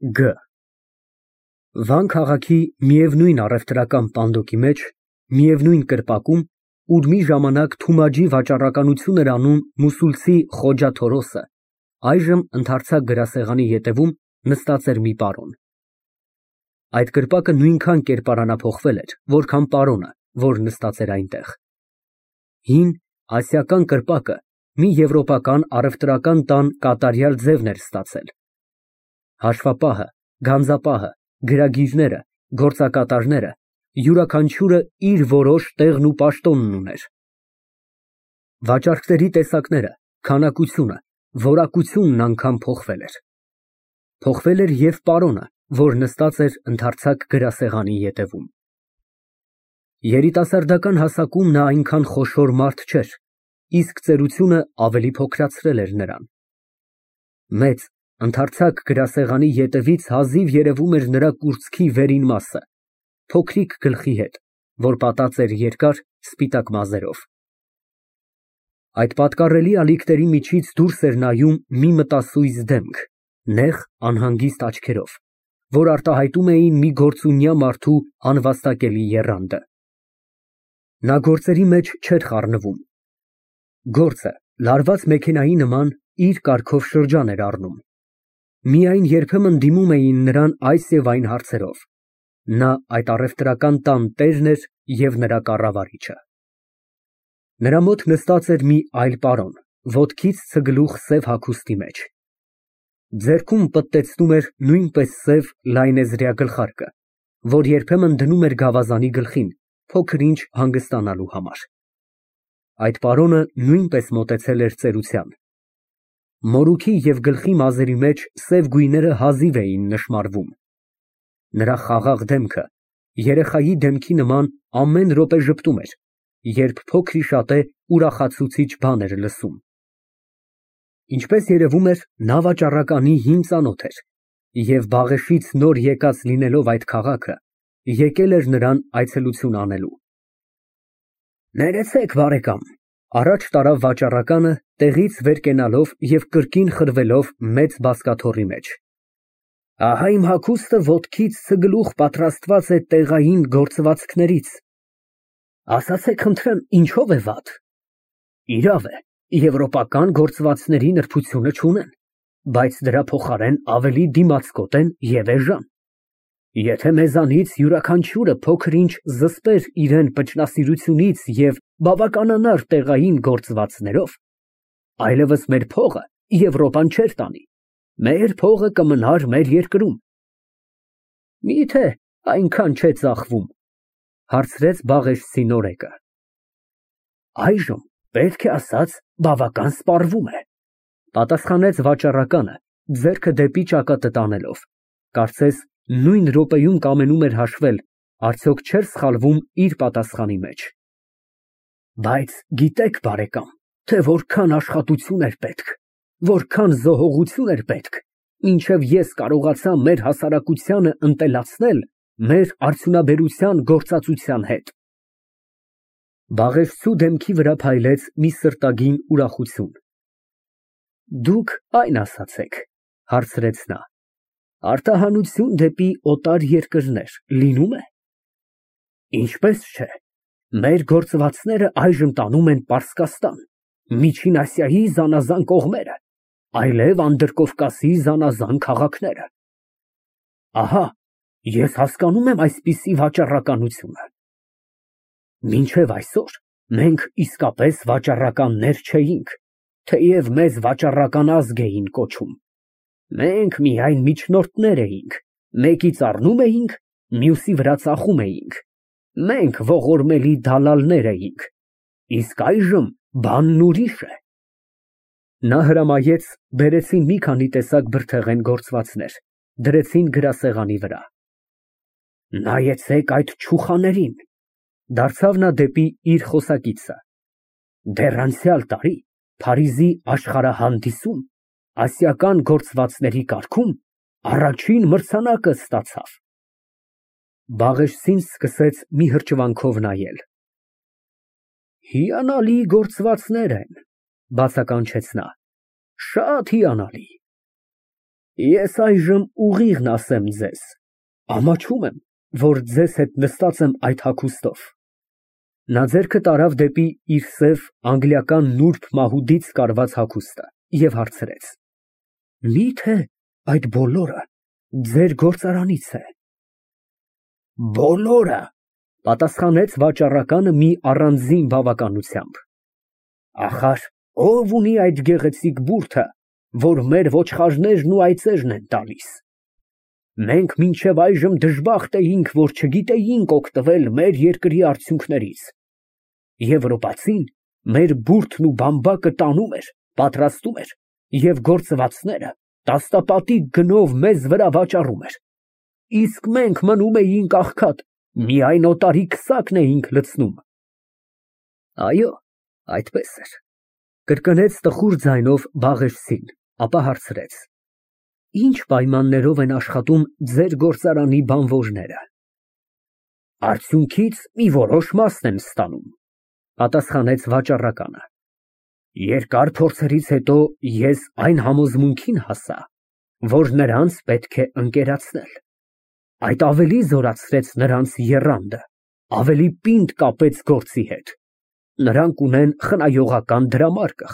Գ Վան քաղաքի միևնույն առևտրական պանդոկի մեջ, միևնույն կրպակում, ուր մի ժամանակ Թումաջի վաճառականություն էր անում մուսուլցի Խոջա Թորոսը, այժմ ընդարձակ գրասեղանի ետևում նստած էր մի պարոն։ Այդ կրպակը նույնքան կերպարանափոխվել էր, որքան պարոնը, որ նստած էր այնտեղ։ Հին ասիական կրպակը մի եվրոպական առևտրական տան կատարյալ ձևն էր ստացել։ Հաշվապահը, գանձապահը, գրագիրները, գործակատարները, յուրաքանչյուրը իր որոշ տեղն ու պաշտոնն ուներ։ Վաճառքների տեսակները, քանակությունը, որակությունն անգամ փոխվել էր։ Փոխվել էր և պարոնը, որ նստած էր ընդարձակ գրասեղանի ետևում։ Երիտասարդական հասակում նա այնքան խոշոր մարդ չէր, իսկ ծերությունը ավելի փոքրացրել էր նրան։ Մեծ, ընդարձակ գրասեղանի ետևից հազիվ երևում էր նրա կուրծքի վերին մասը, փոքրիկ գլխի հետ, որ պատած էր երկար, սպիտակ մազերով։ Այդ պատկառելի ալիքների միջից դուրս էր նայում մի մտասույզ դեմք, նեղ, անհանգիստ աչքերով, որ արտահայտում էին մի գործունյա մարդու անվաստակելի եռանդը։ Նա գործերի մեջ չէր խառնվում։ Գործը, լարված մեքենայի նման, իր կարգով շրջան էր առնում։ Միայն երբեմն դիմում էին նրան այս և այն հարցերով։ Նա այդ առևտրական տան տերն էր և նրա կառավարիչը։ Նրա մոտ նստած էր մի այլ պարոն, ոտքից ցգլուխ սև հագուստի մեջ։ Ձեռքում պտտեցնում էր նույնպես սև լայնեզրյա գլխարկը, որ երբեմն դնում էր գավազանի գլխին, փոքր-ինչ հանգստանալու համար։ Այդ պարոնը նույնպես մոտեցել էր ծերության։ Մորուքի և գլխի մազերի մեջ սև գույները հազիվ էին նշմարվում։ Նրա խաղաղ դեմքը երեխայի դեմքի նման ամեն րոպե ժպտում էր, երբ փոքրիշատե ուրախացուցիչ բան էր լսում։ Ինչպես երևում էր, նա վաճառականի հին ծանոթ էր և Բաղեշից նոր եկած լինելով այդ քաղաքը, եկել էր նրան այցելություն անելու։ Ներեցեք, բարեկամ, առաջ տարավ վաճառականը, տեղից վեր կենալով և կրկին խրվելով մեծ բազկաթոռի մեջ։ Ահա իմ հագուստը ոտքից ցգլուխ պատրաստված է տեղային գործվածքներից։ Ասացեք խնդրեմ, ինչո՞վ է վատ։ Իրավ է, եվրոպական գործվածների նրբությունը չունեն, բայց դրա փոխարեն ավելի դիմացկոտ են և էժան։ Եթե մեզանից յուրաքանչյուրը փոքր-ինչ զսպեր իրան փչնասիրությունից և բավականանար տեղային գործվածներով, այլևս մեր փողը Եվրոպան չէր տանի, մեր փողը կմնար մեր երկրում։ Մի՞թե այնքան չէ ծախվում, հարցրեց Բաղեշցի նորեկը։ Այժմ, պետք է ասած, բավական սպառվում է, պատասխանեց վաճառականը, ձեռքը դեպի ճակատը տանելով, կարծես նույն րոպեում կամենում էր հաշվել, արդյոք չէր սխալվում իր պատասխանի մեջ։ Բայց գիտեք, բարեկամ, թե որքան աշխատություն էր պետք, որքան զոհողություն էր պետք, մինչև ես կարողացա մեր հասարակությանը ընտելացնել մեր արդյունաբերության գործածության հետ։ Բաղեշցու դեմքի վրա փայլեց մի սրտագին ուրախություն։ Դուք այն ասացեք, հարցրեց նա, արտահանություն դեպի օտար երկրներ լինո՞ւմ է։ Ինչպես չէ, մեր գործվածները այժմ տանում են Պարսկաստան, Միջին Ասիայի զանազան կողմերը, այլև Անդրկովկասի զանազան քաղաքները։ Ահա, ես հասկանում եմ այսպիսի վաճառականությունը։ Մինչև այսօր մենք իսկապես վաճառականներ չէինք, թեև մեզ վաճառական ազգ էին կոչում։ Մենք միայն միջնորդներ էինք, մեկից առնում էինք, մյուսի վրա ծախում էինք։ Մենք ողորմելի դալալներ էինք, իսկ այժմ բանն ուրիշ է։ Նա հրամայեց, բերեցին մի քանի տեսակ բրդեղեն գործվածներ, դրեցին գրասեղանի վրա։ Նայեցեք այդ չուխաներին, դարձավ նա դեպի իր խոսակիցը։ Դեռ անցյալ տարի Փարիզի աշխարհահանդիսում ասիական գործվածների կարգում առաջին մրցանակը ստացավ։ Բաղեշցին սկսեց մի հրճվանքով նայել։ Հիանալի գործվածներ են, բացականչեց նա, շատ հիանալի։ Ես այժմ ուղիղն ասեմ ձեզ, ամաչում եմ, որ ձեզ հետ նստած եմ այդ հագուստով։ Նա ձեռքը տարավ դեպի իր սև անգլիական նուրբ մահուդից կարված հագուստը և հարցրեց. Մի՞թե այդ բոլորը ձեր գործարանից է։ Բոլորը, պատասխանեց վաճառականը մի առանձին բավականությամբ։ Ախար, ով ունի այդ գեղեցիկ բուրդը, որ մեր ոչխարներն ու այծերն են տալիս։ Մենք մինչև այժմ դժբախտ էինք, որ չգիտեինք օգտվել մեր երկրի արդյունքներից։ Եվրոպացին մեր բուրդն ու բամբակը տանում էր, պատրաստում էր և գործվածները տաստապատիկ գնով մեզ վրա վաճառում էր։ Իսկ մենք մնում էինք աղքատ, միայն օտարի քսակն էինք լցնում։ Այո, այդպես էր, կրկնեց տխուր ձայնով Բաղեշցին, ապա հարցրեց. Ինչ պայմաններով են աշխատում ձեր գործարանի բանվորները։ Արդյունքից մի որոշ մասն են ստանում, պատասխանեց վաճառականը։ Երկար փորձերից հետո ես այն համոզմունքին հասա, որ նրանց պետք է ընկերացնել։ Այդ ավելի զորացրեց նրանց եռանդը, ավելի պինդ կապեց գործի հետ։ Նրանք ունեն խնայողական դրամարկղ,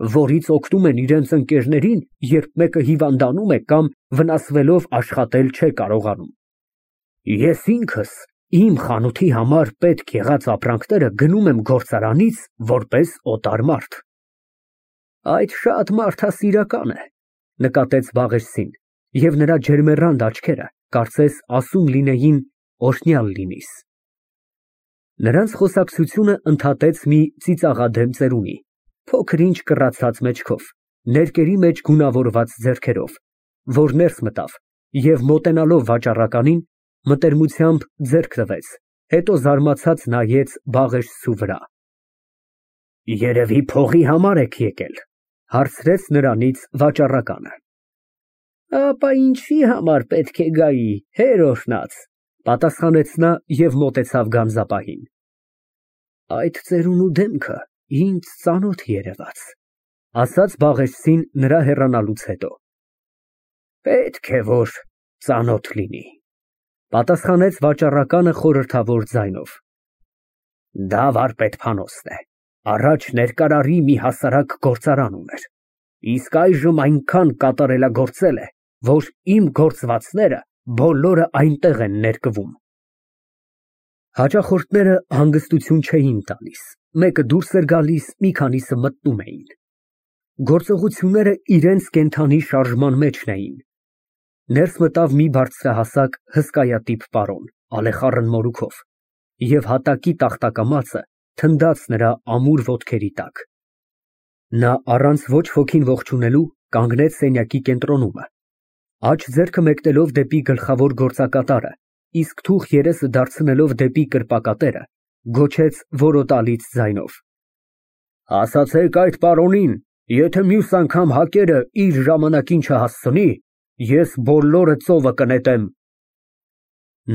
որից օգնում են իրենց ընկերներին, երբ մեկը հիվանդանում է կամ վնասվելով աշխատել չէ կարողանում։ Ես ինքս իմ խանութի համար պետք եղած ապրանքները գնում եմ գործարանից որպես օտար մարդ։ Այդ շատ մարդասիրական է, նկատեց Բաղեշցին, և նրա ջերմեռանդ աչքերը կարծես ասում լինեին օրհնյալ լինիս։ Նրանց խոսակցությունը ընդհատեց մի ծիծաղադեմ ծերունի, փոքր-ինչ կռացած մեջքով, ներկերի մեջ գունավորված ձեռքերով, որ ներս մտավ և մոտենալով վաճառականին, մտերմությամբ ձեռք տվեց, հետո զարմացած նայեց Բաղեշցու վրա։ Երևի փողի համար եք եկել, հարցրեց նրանից վաճառականը։ Ապա ինչի համար պետք է գայի, հեր օրհնած, պատասխանեց նա և մոտեցավ գանձապահին։ Այդ ծերունու դեմքը ինձ ծանոթ երևաց, ասաց Բաղեշցին նրա հեռանալուց հետո։ Պետք է որ ծանոթ լինի, պատասխանեց վաճառականը խորհրդավոր ձայնով։ Դա վարպետ-փանոստն է, առաջ ներկարարի մի հասարակ գործարան ուներ, իսկ այժմ այնքան կատարելագործել է, որ իմ գործվածները բոլորը այնտեղ են ներկվում։ Հաճախորդները հանգստություն չէին տալիս, մեկը դուրս էր գալիս, մի քանիսը մտնում էին։ Գործողությունները իրենց կենդանի շարժման մեջն էին։ Ներս մտավ մի բարձրահասակ հսկայատիպ պարոն, ալեխառն մորուքով, և հատակի տախտակամածը թնդաց նրա ամուր ոտքերի տակ։ Նա առանց ոչ ոքին ողջունելու կանգնեց սենյակի կենտրոնումը, աջ ձեռքը մեկնելով դեպի գլխավոր գործակատարը, իսկ թուղ երեսը դարձնելով դեպի կրպակատերը, գոչեց որոտալից ձայնով. Ասացեք այդ պարոնին, եթե մյուս անգամ հակերը իր ժամանակին չհասցնի, ես բոլորը ծովը կնետեմ։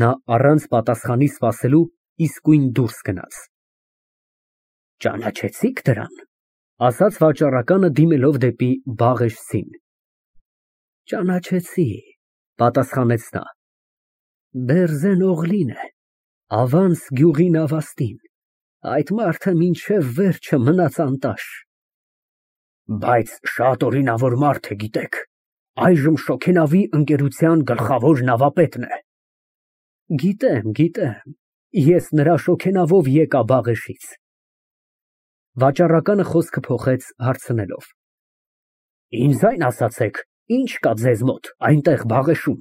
Նա առանց պատասխանի սպասելու իսկույն դուրս գնաց։ Ճանաչեցի՞ք դրան, ասաց վաճառականը դիմելով դեպի Բաղեշցին։ Ճանաչեցի, պատասխանեց նա։ Բերզեն Օղլին է, Ավանս գյուղի նավաստին, այդ մարդը մինչև վերջը մնաց անտաշ։ Բայց շատ օրինավոր մարդ է, գիտեք, այժմ շոգենավի ընկերության գլխավոր նավապետն է։ Գիտեմ, ես նրա շոգենավով եկա Բաղեշից։ Վաճառականը խոսքը փոխեց հարցնելով. Ինձ այն ասացեք, ինչ կա ձեզ մոտ այնտեղ Բաղեշում։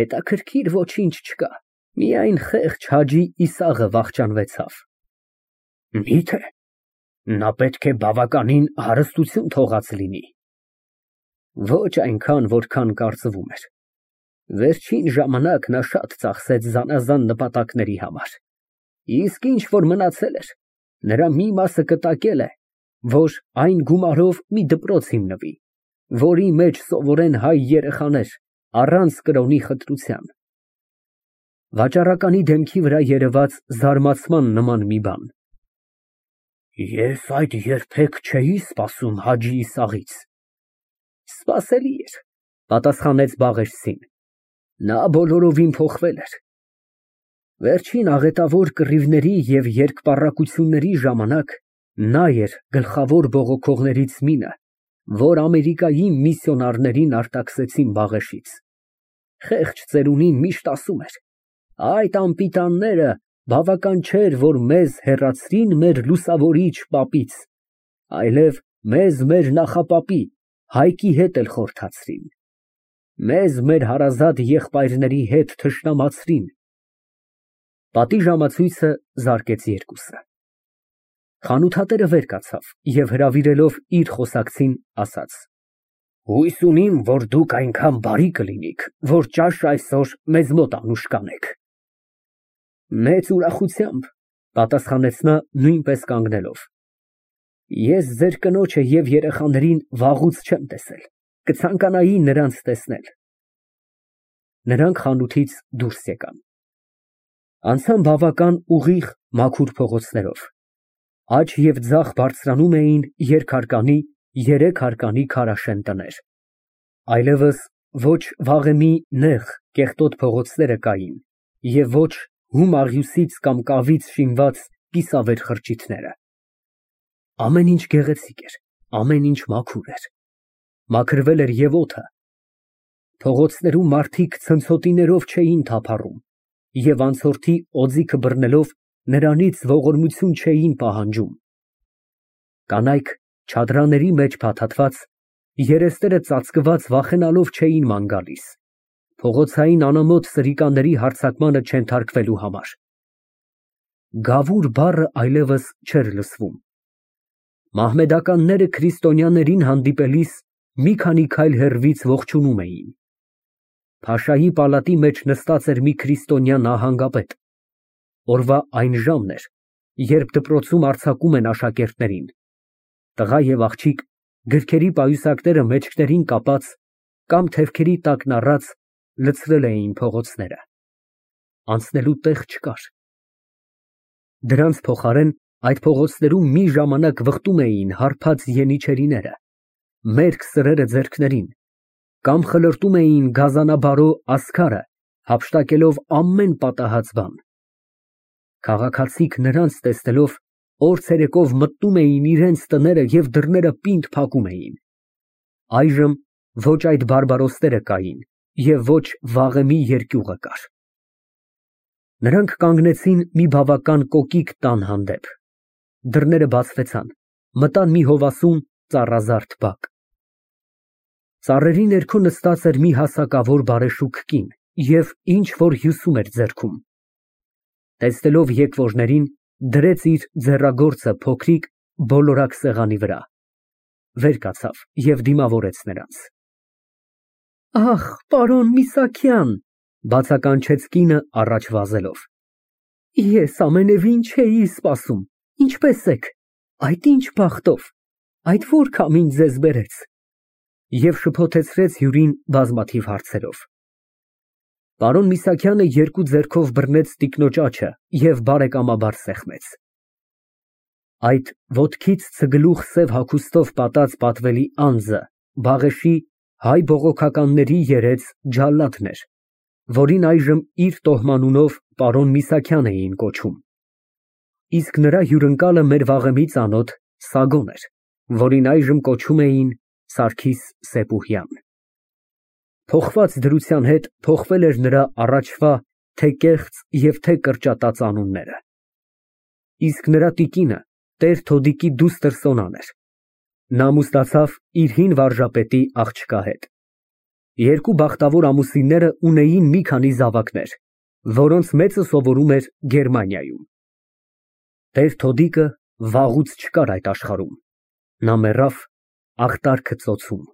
Հետաքրքիր ոչինչ չկա, միայն խեղճ Հաջի Իսաղը վախճանվեցավ։ Մի՞թե, նա պետք է բավականին հարստություն թողած լինի։ Ոչ այնքան, որքան կարծվում էր։ Վերջին ժամանակ նա շատ ծախսեց զանազան նպատակների համար։ Իսկ ինչ որ մնացել էր, նրա մի մասը կտակել է, որ այն գումարով մի դպրոց հիմնվի, որի մեջ սովորեն հայ երեխաներ առանց կրոնի խտրության։ Վաճառականի դեմքի վրա երևաց զարմացման նման մի բան։ Ես այդ երբեք չէի սպասում Հաջի Իսաղից։ Սպասելի էր, պատասխանեց Բաղեշցին։ Նա բոլորովին փոխվել էր։ Վերջին աղետավոր կռիվների և երկպառակությունների ժամանակ նա էր գլխավոր բողոքողներից մինը, որ Ամերիկայի միսիոնարներին արտաքսեցին Բաղեշից։ Խեղճ ծերունին միշտ ասում էր. այդ անպիտանները բավական չէր, որ մեզ հեռացրին մեր լուսավորիչ պապից, այլև մեզ մեր նախապապի Հայկի հետ էլ խորհրդացրին, մեզ մեր հարազատ եղբայրների հետ թշնամացրին։ Պատի ժամացույցը զարկեց երկուսը։ Խանութատերը վեր կացավ և հրավիրելով իր խոսակցին, ասաց. Հույս ունիմ, որ դուք այնքան բարի կլինիք, որ ճաշը այսօր մեզ մոտ անուշ կանեք։ Մեծ ուրախությամբ, պատասխանեց նա նույնպես կանգնելով։ Ես ձեր կնոջը և երեխաներին վաղուց չեմ տեսել, կցանկանայի նրանց տեսնել։ Նրանք խանութից դուրս եկան։ Անցան բավական ուղիղ մաքուր փողոցներով։ Աջ և ձախ բարձրանում էին երկհարկանի, երեք հարկանի քարաշեն տներ։ Այլևս ոչ վաղեմի նեղ կեղտոտ փողոցները կային և ոչ հում աղյուսից կամ կավից շինված կիսավեր խրճիթները։ Ամեն ինչ գեղեցիկ էր, ամեն ինչ մաքուր էր։ Մաքրվել էր և օդը։ Փողոցներում մարդիկ ցնցոտիներով չէին թափառում և անցորդի օձիքը բռնելով նրանից ողորմություն չէին պահանջում։ Կանայք չադրաների մեջ փաթաթված, երեսները ծածկված վախենալով չէին ման գալիս, փողոցային անամոթ սրիկաների հարձակմանը չենթարկվելու համար։ Գավուր բառը այլևս չէր լսվում։ Մահմեդականները քրիստոնյաներին հանդիպելիս մի քանի քայլ հեռվից ողջունում էին։ Փաշայի պալատի մեջ նստած էր մի քրիստոնյա նահանգապետ։ Օրվա այն ժամն էր, երբ դպրոցում արձակում են աշակերտներին։ Տղա և աղջիկ գրքերի պայուսակները մեջքներին կապած կամ թևքերի տակն առած լցրել էին փողոցները։ Անցնելու տեղ չկար։ Դրանց փոխարեն այդ փողոցներում մի ժամանակ վխտում էին հարբած ենիչերիները, մերկ սրերը ձեռքներին, կամ խլրտում էին գազանաբարո ասքարը, հափշտակելով ամեն պատահած բան։ Քաղաքացիք նրանց տեսնելով օր ցերեկով մտնում էին իրենց տները և դռները պինդ փակում էին։ Այժմ ոչ այդ բարբարոսները կային և ոչ վաղեմի երկյուղը կար։ Նրանք կանգնեցին մի բավական կոկիկ տան հանդեպ։ Դռները բացվեցան, մտան մի հովասում ծառազարդ բակ։ Ծառերի ներքո նստած էր մի հասակավոր բարեշուք կին և ինչ֊որ հյուսում էր ձեռքում։ Տեսնելով եկվորներին, դրեց իր ձեռագործը փոքրիկ բոլորակ սեղանի վրա, վեր կացավ և դիմավորեց նրանց։ Ախ, պարոն Միսաքյան, բացականչեց կինը առաջ վազելով։ Ես ամենևին չէի սպասում, ինչպե՞ս եք, այդ ինչ բախտով, այդ ո՞ր քամին ձեզ բերեց։ Եվ շփոթեցրեց հյուրին բազմաթիվ հարցերով։ Պարոն Միսաքյանը երկու ձեռքով բռնեց տիկնոջ աջը և բարեկամաբար սեղմեց։ Այդ ոտքից ցգլուխ սև հագուստով պատած պատվելի անձը Բաղեշի հայ բողոքականների երեց ջալադն էր, որին այժմ իր տոհմանունով պարոն Միսաքյան էին կոչում, իսկ նրա հյուրընկալը մեր վաղեմի ծանոթ Սագոն էր, որին այժմ կոչում էին Սարգիս Սեպուհյան։ Փոխված դրության հետ փոխվել էր նրա առաջվա թե կեղծ և թե կրճատած անունները։ Իսկ նրա տիկինը տեր Թոդիկի դուստր Սոնան էր։ Նա ամուսնացավ իր հին վարժապետի աղջկա հետ։ Երկու բախտավոր ամուսինները ունեին մի քանի զավակներ, որոնց մեծը սովորում էր Գերմանիայում։ Տեր Թոդիկը վաղուց չկար այդ աշխարհում։ Նա մեռավ աղտարքը ծոցում։